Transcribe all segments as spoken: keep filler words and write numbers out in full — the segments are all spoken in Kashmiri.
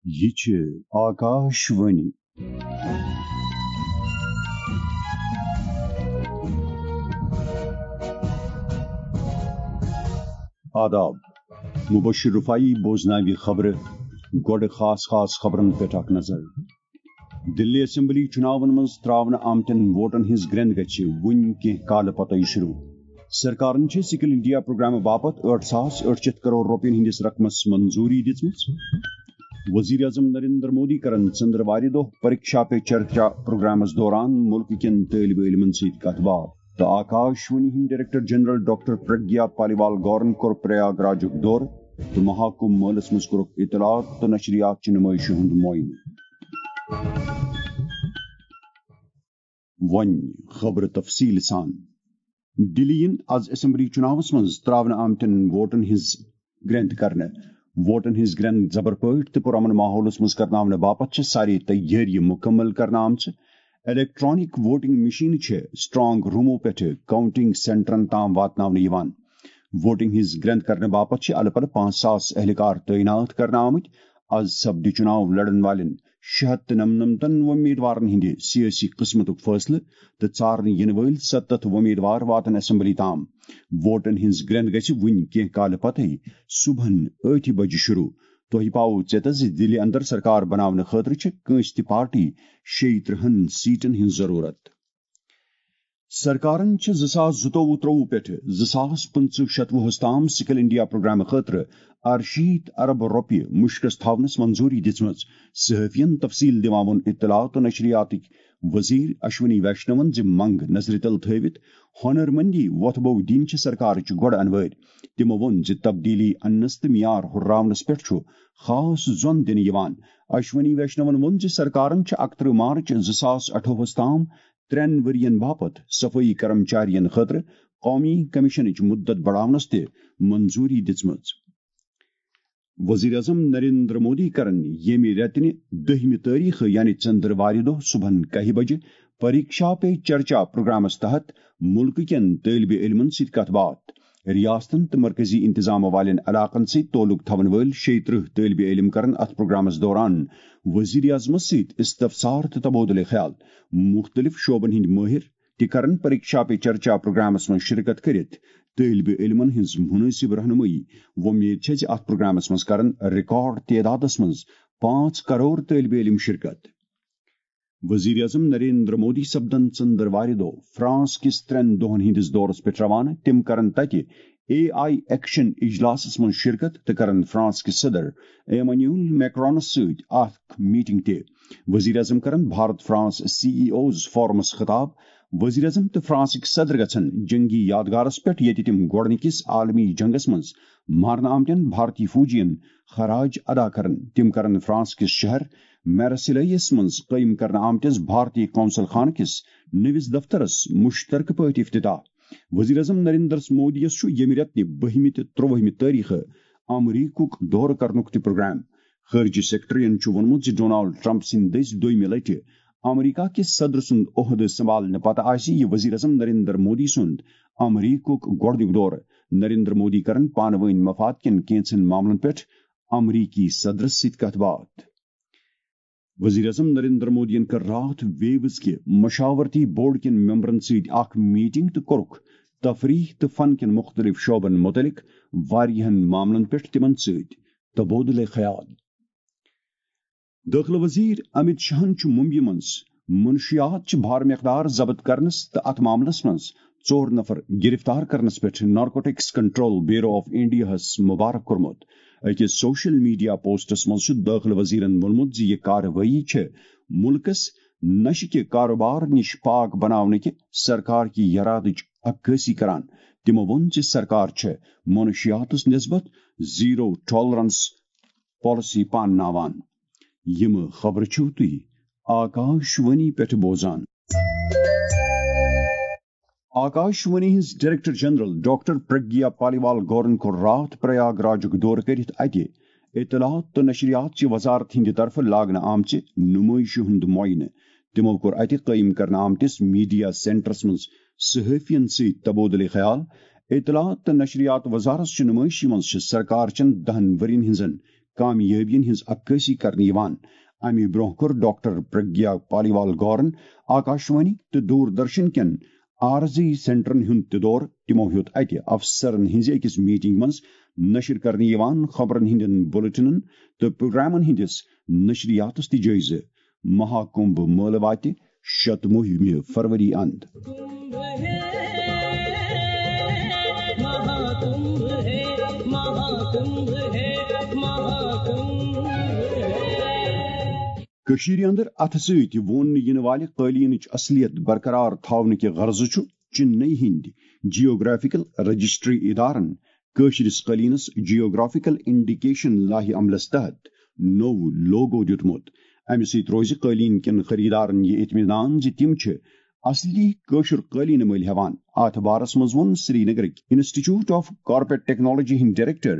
یہِ چھِ آکاش وانی۔ آداب۔ مبشر رفاعی بوزناوِ خبرٕ۔ گۄڈٕ خاص خاص خبرن پٮ۪ٹھ اکھ نظر۔ دِلی اسمبلی چُناون منٛز ترٛاونہٕ آمتٮ۪ن ووٹن ہٕنٛز گرٛٮ۪نٛد گژھِ وُنہِ کینٛہہ کالہٕ پتَے شروع۔ سرکارن چھِ سکل انڈیا پروگرامہٕ باپتھ ٲٹھ ساس ٲٹھ شیٚتھ کرور رۄپین ہٕنٛدِس رقمس منظوٗری دِژمٕژ۔ وزیر اعظم نریندر مودی کرن ژٔنٛدٕروارِ دۄہ پریکشا پے چرچا پروگرامس دوران مُلکہٕ کٮ۪ن طٲلبہِ علمن سۭتۍ کتھ باتھ۔ تہٕ آکاش وانی ہٕنٛدۍ director general doctor Pragya Paliwal گورن کوٚر پریاگ راجُک دورٕ تہٕ مہاکُمبھ مٲلس منٛز کوٚرُکھ اطلاعات تہٕ نشریات چہِ نُمٲیشہِ ہُنٛد معائنہٕ۔ وۄنۍ خبرٕ تفصیٖل سان۔ دِلی یِن از اسمبلی چُناوس منٛز ترٛاونہٕ آمتٮ۪ن ووٹن ہٕنٛز گرٛٮ۪نٛد کرنہٕ۔ ووٹن ہٕنٛز گرٛٮ۪نٛد زبر پٲٹھۍ تہٕ پرامن ماحولس منٛز کرناونہٕ باپتھ چھِ سارے تیٲری مُکمل کرنہٕ آمژٕ۔ الیکٹرانک ووٹنگ مشینہٕ چھِ اسٹرانگ رومو پٮ۪ٹھٕ کاؤنٹنگ سینٹرن تام واتناونہٕ یِوان۔ ووٹنگ ہٕنٛز گرٛٮ۪نٛد کرنہٕ باپتھ چھِ الہٕ پلہٕ پانٛژھ ساس اہلکار تعینات کرنہٕ آمٕتۍ۔ از سپدِ چُناو لڑن والٮ۪ن شےٚ ہتھ تہٕ نمنمتن وۄمیدوارن ہٕنٛدِ سیٲسی قٕسمتُک فٲصلہٕ تہٕ ژارنہٕ یِنہٕ وٲلۍ ستتھ وۄمیدوار واتن اسمبلی تام۔ ووٹن ہٕنٛز گرٛٮ۪نٛد گژھِ وُنہِ کینٛہہ کالہٕ پتَے صبحن ٲٹھِ بجہِ شروع۔ تۄہہِ پاوو ژیتس زِ دِلہِ اندر سرکار بناونہٕ خٲطرٕ چھِ کٲنٛسہِ تہِ پارٹی شیٚیہِ ترٕٛہن سیٹن ہٕنٛز ضروٗرت۔ سرکارن چھِ زٕ ساس زٕتووُہ ترٛووُہ پٮ۪ٹھٕ زٕ ساس پٕنٛژٕہ شتوُہس تام سکل انڈیا پروگرامہٕ خٲطرٕ ارشیٖتھ ارب رۄپیہِ مُشکس تھاونس منظوٗری دِژمٕژ۔ صحافین تفصیل دِوان ووٚن اطلاعات تہٕ نشریاتٕکۍ وزیر اشونی ویشنون زِ منگ نظرِ تل تھٲوِتھ ہنرمندی وۄتھٕ بو دِنۍ چھِ سرکارٕچ گۄڈٕ انوٲرۍ۔ تِمو ووٚن زِ تبدیلی اننس تہٕ معیار ہُرراونس پٮ۪ٹھ چھُ خاص زۄن دِنہٕ یِوان۔ اشونی ویشنون ووٚن زِ سرکارن چھِ اکترٕہ مارچ زٕ ساس اٹھووُہس تام ترٛٮ۪ن ؤرین باپتھ صفٲیی کرمچارین خٲطرٕ قومی کمیشنٕچ مدت بڑاونس تہِ منظوٗری دِژمٕژ۔ وزیر اعظم نریندر مودی کرن ییٚمہِ رٮ۪تنہِ دٔہمہِ تٲریخہٕ یعنی ژٔنٛدٕروارِ دۄہ صبحن کاہہِ بجہِ پریکشا پے چرچا پروگرامس تحت مُلکہٕ کٮ۪ن طٲلبہِ علمن سۭتۍ کتھ باتھ۔ ریاستن تہٕ مرکزی انتظام والٮ۪ن علاقن سۭتۍ تعلق تھاون وٲلۍ شیٚیہِ ترٕٛہ طٲلبہِ علم کرن اتھ پروگرامس دوران وزیر اعظمس سۭتۍ استفسار تہٕ تبادلہٕ خیال۔ مُختٔلِف شعبن ہٕنٛدۍ مٲہِر تہِ کرن پریکشا پے چرچا پروگرامس منٛز شرکت کٔرِتھ طٲلبہِ علمن ہٕنٛز مُنٲسِب رہنُمٲیی۔ وۄمید چھےٚ زِ اتھ پروگرامس منٛز کرن ریکارڈ تعدادس منٛز پانٛژھ کرور طٲلبہِ علم شرکت۔ وزیر اعظم نریندر مودی سپدن ژٔنٛدٕروارِ دۄہ فرانس کِس ترٛٮ۪ن دۄہن ہٕنٛدِس دورس پٮ۪ٹھ روانہٕ۔ تِم کرن تتہِ اے آئی ایکشن اجلاسس منٛز شرکت تہٕ کرن فرانس کِس صدر ایمانیول میکرونس سۭتۍ اکھ میٹنگ تہِ۔ وزیر اعظم کرن Bharat France C E Os فورمس خطاب۔ وزیر اعظم تہٕ فرانسٕکۍ صدر گژھن جنگی یادگارس پٮ۪ٹھ، ییٚتہِ تِم گۄڈٕنِکِس عالمی جنگس منٛز مارنہٕ آمتٮ۪ن بھارتی فوجین خراج ادا کرن۔ تِم کرن فرانس کِس شہر میرسیلیس منٛز قٲیِم کرنہٕ آمتِس بھارتی قونصل خانہٕ کِس نٔوِس دفترس مُشترکہٕ پٲٹھۍ افتتاح۔ وزیر اعظم نریندر مودی یَس چھُ ییٚمہِ رٮ۪تہٕ نہِ بٔہمہِ تہٕ ترٛوٲہمہِ تٲریخہٕ امریکُک دورٕ کرنُک تہِ پروگرام۔ خارجہ سیکرٹریَن چھُ ووٚنمُت زِ ڈونالڈ ٹرمپ سٕنٛدِ دٔسۍ دوٚیمہِ لٹہِ امریکہ کِس صدر سُنٛد عہدٕ سنبھالنہٕ پتہٕ آسہِ یہِ وزیر اعظم نریندر مودی سُنٛد امریکُک گۄڈٕنیُک دورٕ۔ نریندر مودی کرن پانہٕ وٲنۍ مفاد کٮ۪ن کینٛژن معاملن پٮ۪ٹھ امریکی صدرس سۭتۍ کتھ باتھ۔ وزیر اعظم نریندر مودیَن کٔر راتھ ویوز کہِ مشاورتی بورڈ کٮ۪ن ممبرن سۭتۍ اکھ میٹنگ تہٕ کوٚرُکھ تفریح تہٕ فن کٮ۪ن مُختٔلِف شعبن مُتعلق واریاہن معاملن پٮ۪ٹھ تِمن سۭتۍ تبادلہ خیال۔ دٲخلہٕ وزیر امت شاہن چھُ ممبیہِ منٛز منشیات چہِ بھارٕ مقدار ضبط کرنس تہٕ اتھ معاملس منٛز ژور نفر گرفتار کرنس پٮ۪ٹھ نارکوٹکس کنٹرول بیورو آف انڈیاہس مبارک کوٚرمُت۔ أکِس سوشل میڈیا پوسٹس منٛز چھُ دٲخلہٕ وزیرن ووٚنمُت زِ یہِ کاروٲیی چھِ مُلکس نشہٕ کہِ کاروبار نِش پاک بناونہٕ کہِ سرکار کہِ یرادٕچ عکٲسی کران۔ تِمو ووٚن زِ سرکار چھِ منشیاتس نسبت زیرو ٹالرنس پالیسی پانناوان۔ یِم خبرٕ چھِو تُہۍ آکاش وانی پٮ۪ٹھ بوزان۔ آکاش وانی ہٕنٛز director general doctor Pragya Paliwal گورن کوٚر راتھ پریاگ راجُک دورٕ کٔرِتھ اتہِ اطلاعات تہٕ نشریات چہِ وزارت ہٕنٛدِ طرفہٕ لاگنہٕ آمژِ نُمٲیشہِ ہُنٛد معائنہٕ۔ تِمو کوٚر اتہِ قٲیِم کرنہٕ آمتِس میڈیا سینٹرس منٛز صحافین سۭتۍ تبادلہٕ خیال۔ اطلاعات تہٕ نشریات وزارت چہِ نُمٲیشہِ منٛز چھِ سرکار چٮ۪ن دہن ؤرین ہٕنٛزن کامیٲبین ہٕنٛز عکٲسی کرنہٕ یِوان۔ امہِ برونٛہہ کوٚر ڈاکٹر پرگیا پالیوال گورن آکاشوانی تہٕ دوردرشن کٮ۪ن عارضی سینٹرن ہُنٛد تہِ دورٕ۔ تِمو ہیوٚت اتہِ افسرن ہٕنٛزِ أکِس میٹنگ منٛز نشر کرنہٕ یِوان خبرن ہٕنٛدٮ۪ن بلیٹنن تہٕ پروگرامن ہٕنٛدِس نشریاتس تہِ جٲیزٕ۔ مہاکمبھ مٲلہٕ واتہِ شتوُہمہِ فروری اند۔ کٔشیٖرِ اندر اتھٕ سۭتۍ ووننہٕ یِنہٕ والہِ قٲلیٖنٕچ اصلیت برقرار تھاونہٕ کہِ غرضہٕ چھُ چنئی ہٕنٛدۍ جیوگرافیکل رجسٹری ادارن کٲشرِس قٲلیٖنس جیوگرافیکل انڈیکیشن لایحہ عملس تحت نوٚو لوگو دیُتمُت۔ امہِ سۭتۍ روزِ قٲلیٖن کٮ۪ن خریدارن یہِ اطمینان زِ تِم چھِ اصلی کٲشُر قٲلیٖن مٔلۍ ہٮ۪وان۔ اتھ بارس منٛز ووٚن سرینگرٕکۍ انسٹیٹیوٹ آف کارپیٹ ٹیکنالوجی ہٕنٛدۍ ڈائریکٹر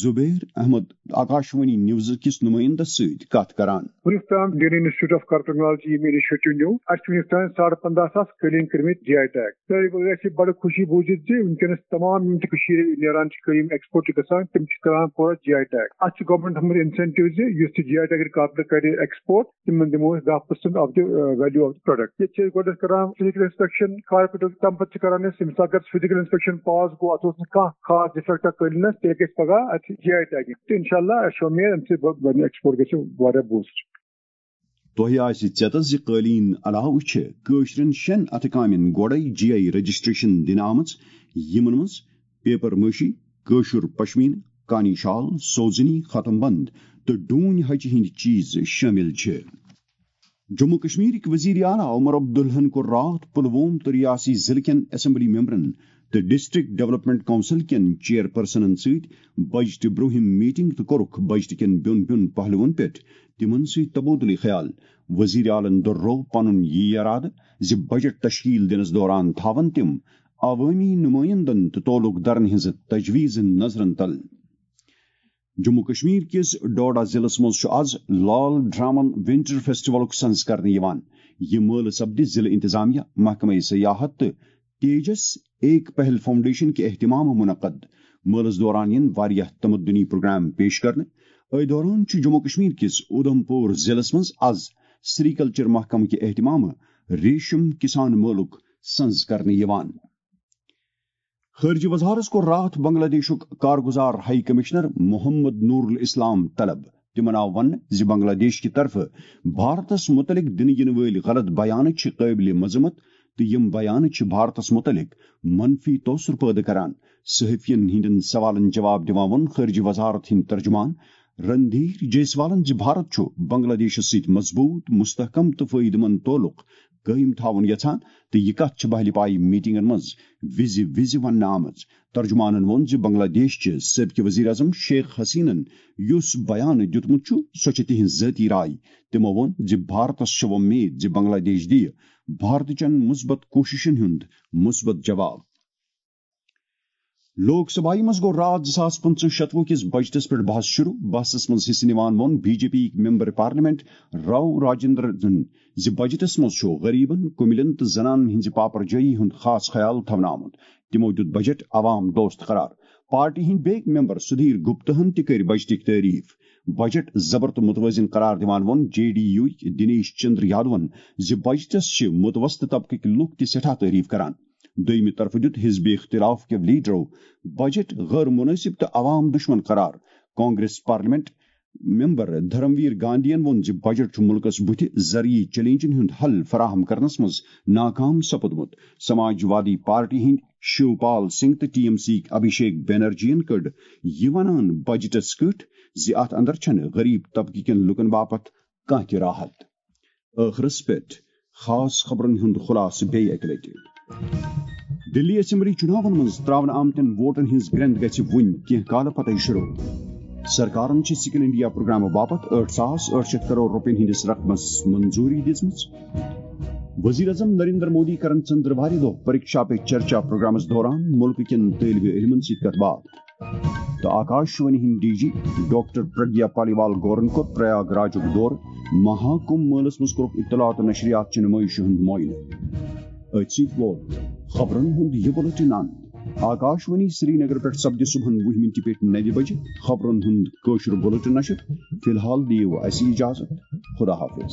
زبیر احمد آکاشوانی نیوز کِس نمائندس سۭتۍ کتھ کران۔ وُنیُک تام Indian institute of carpet technology ییٚمہِ انیشیٹو نیوٗ، اَسہِ چھِ وُنیُک تام ساڑٕ پنداہ ساس قٲلیٖن کٔرمٕتۍ جی آئی ٹیگ۔ تہٕ یہِ گژھِ بڑٕ خوشی بوٗزِتھ زِ وٕنکیٚنَس تمام یِم تہِ کٔشیٖرِ نیران چھِ قٲلیٖن، ایکسپورٹ چھِ گژھان، تِم چھِ کران پوٗرٕ جی آئی ٹیگ۔ اَتھ چھِ گورنمنٹ تھوٚمُت انسینٹیو زِ یُس تہِ جی آئی ٹیگ کارپیٹ کرِ ایکسپورٹ، تِمن دِمو أسۍ دَہ percent of the value of the product. ییٚتہِ چھِ أسۍ گۄڈٕنیتھ کران فزیکل انسپیکشن کارپیٹُک، تَمہِ پتہٕ چھِ کران أسۍ، ییٚمہِ ساتہٕ گژھِ فزیکل انسپیکشن پاس گوٚو، اَتھ اوس نہٕ کانٛہہ خاص ڈیفیکٹا قٲلیٖنس، تیٚلہِ گژھِ پگاہ اَتھ جی آئی ٹیگنگ۔ تہٕ انشاءاللہ اَسہِ چھِ اُمید اَمہِ سۭتۍ بَ-، بَنہِ ایکسپورٹ گژھِ واریاہ بوٗسٹ۔ تۄہہِ آسہِ ژیتس زِ قٲلیٖن علاوٕ چھِ کٲشرٮ۪ن شٮ۪ن اَتھٕ کامٮ۪ن گۄڈَے جی آئی رجسٹریشن دِنہٕ آمٕژ، یِمن منٛز پیپر مٲشی، کٲشُر پشمیٖنہٕ، کانی شال، سوزنی، ختم بند تہٕ ڈوٗنۍ ہچہِ ہٕنٛدۍ چیٖز شٲمِل چھِ۔ جموں کشمیرٕکۍ وزیر اعلیٰ عمر عبداللہن کوٚر راتھ پلووم تہٕ ریاستی ضلعہٕ کٮ۪ن اسمبلی ممبرن تہٕ ڈسٹرکٹ ڈیولپمنٹ کونسل کٮ۪ن چیئرپرسنن سۭتۍ بجٹہٕ برونٛہِم میٹنگ تہٕ کوٚرُکھ بجٹہٕ کٮ۪ن بیوٚن بیوٚن پہلوَن پٮ۪ٹھ تِمن سۭتۍ تبادلہٕ خیال۔ وزیر اعلیٰ ہن دۄہروو پنُن یہِ ارادٕ زِ بجٹ تشکیل دِنس دوران تھاون تِم عوٲمی نمٲیندن تہٕ تعلق دارن ہٕنٛزٕ تجویزٕ نظرن تل۔ جموں کشمیر کِس ڈوڈا ضلعس منٛز چھُ از لال ڈرامن ونٹر فیسٹیولُک سنز کرنہٕ یِوان۔ یہِ مٲلہٕ سپدِ ضلعہٕ انتظامیہ، محکمہ سیاحت تہٕ تیجس ایک پہل فاؤنڈیشن کہِ اہتمام منعقد۔ مٲلَس دوران یِن واریاہ تمدنی پروگرام پیش کرنہٕ۔ أتھۍ دوران چھُ جموں کشمیر کِس اودھم پور ضلعس منٛز از سری کلچر محکمہٕ کہِ اہتمامہٕ ریشم کسان مٲلُک سنز کرنہٕ یِوان۔ خارجہ وزارت کوٚر راتھ بنگلہ دیشُک کارگزار ہائی کمشنر محمد نور الاسلام طلب۔ تِمن آو وننہٕ زِ بنگلہ دیش کہِ طرفہٕ بھارتس متعلق دِنہٕ یِنہٕ وٲلۍ غلط بیانہٕ چھِ قٲبلِ مذمت تہٕ یِم بیانہٕ چھِ بھارتس متعلق منفی تٲثر پٲدٕ کران۔ صحافین ہٕنٛدٮ۪ن سوالن جواب دِوان ووٚن خارجہ وزارت ہٕنٛدۍ ترجمان رندھیر جیسوالن زِ بھارت چھُ بنگلہ دیشس سۭتۍ مضبوط، مستحکم تہٕ فٲیدٕ مند تعلق قٲیِم تھاوُن یژھان تہٕ یہِ کتھ چھِ بہلہِ پایہِ میٹنگن منٛز وِزِ وِزِ وننہٕ آمٕژ۔ ترجمانن ووٚن زِ بنگلہ دیش چہِ سٲبقہٕ وزیر اعظم شیخ حسینن یُس بیان دیُتمُت چھُ، سۄ چھِ تِہنٛز ذٲتی راے۔ تِمو ووٚن زِ بھارتس چھِ وۄمید زِ بنگلہ دیش دِیہِ بھارتٕچن مثبت کوٗششن ہُنٛد مثبت جواب۔ لوک سبھایہ منٛز گوٚو راتھ زٕ ساس پٕنٛژٕہ شتوُہ کِس بجٹس پٮ۪ٹھ بحث شروع۔ بحثس منٛز حصہٕ نِوان ووٚن بی جے پی یِکۍ ممبر پارلیمنٹ راو راجندرن زِ بجٹس منٛز چھُ غریبن، کُمِلٮ۪ن تہٕ زنانن ہٕنٛزِ پاپر جٲیی ہُنٛد خاص خیال تھاونہٕ آمُت۔ تِمو دیُت بجٹ عوام دوست قرار۔ پارٹی ہٕنٛدۍ بیٚکۍ ممبر سدھیر گپتہن تہِ کٔرۍ بجٹٕکۍ تعریف۔ بجٹ زبر تہٕ متوازن قرار دِوان ووٚن جے ڈی یو یِکۍ دنیش چندر یادون زِ بجٹس چھِ متوسطہٕ طبقٕکۍ لوٗکھ تہِ سٮ۪ٹھاہ تعریف کران۔ دوٚیمہِ طرفہٕ دیُت حزب اختلاف کٮ۪و لیڈرو بجٹ غٲر مناسب تہٕ عوام دشمن قرار۔ کانگریس پارلیمنٹ ممبر دھرمویر گاندھین ووٚن زِ بجٹ چھُ مُلکَس بُتھِ زرعی چیلنجن ہُنٛد حل فراہم کرنس منٛز ناکام سپُدمُت۔ سماج وادی پارٹی ہٕنٛدۍ شیو پال سنگھ تہٕ ٹی ایم سی یِکۍ ابھیشیک بنرجیَن کٔڑ یہِ ونان بجٹس کٔٹھۍ زِ اتھ اندر چھنہٕ غریب طبقہٕ کٮ۪ن لوٗکن باپتھ کانٛہہ تہِ راحت۔ ٲخرس پٮ۪ٹھ خاص خبرن ہُنٛد خلاصہٕ بیٚیہِ اَکہِ لٹہِ۔ دِلی اسمبلی چُناون منٛز ترٛاونہٕ آمتٮ۪ن ووٹن ہٕنٛز گرٛٮ۪نٛد گژھِ وُنہِ کینٛہہ کالہٕ پتَے شروع۔ سرکارن چھِ سکل انڈیا پروگرامہٕ باپتھ ٲٹھ ساس ٲٹھ شیٚتھ کرور رۄپین ہٕنٛدِس رقمس منظوٗری دِژمٕژ۔ وزیر اعظم نریندر مودی کرن ژٔنٛدروارِ دۄہ پریکشا پے چرچا پروگرامس دوران مُلکہٕ کٮ۪ن طٲلبہِ علمن سۭتۍ کتھ باتھ۔ تہٕ آکاش وانی ہٕنٛدۍ D G doctor Pragya Paliwal گورن کوٚر پریاگ راجُک دورٕ۔ مہا کُمبھ مٲلَس منٛز کوٚرُکھ اطلاعات تہٕ نشریات چہِ نُمٲیشہِ ہُنٛد معاینہٕ۔ أتھۍ سۭتۍ ووت خبرن ہُنٛد یہِ بُلٹن اند۔ آکاشوانی سرینگر پٮ۪ٹھ سپدِ صبحن وُہ مِنٹہِ پٮ۪ٹھ نَوِ بجہِ خبرن ہُنٛد کٲشُر بُلٹن نشر۔ فی الحال دِیِو اَسہِ اجازت۔ خدا حافظ۔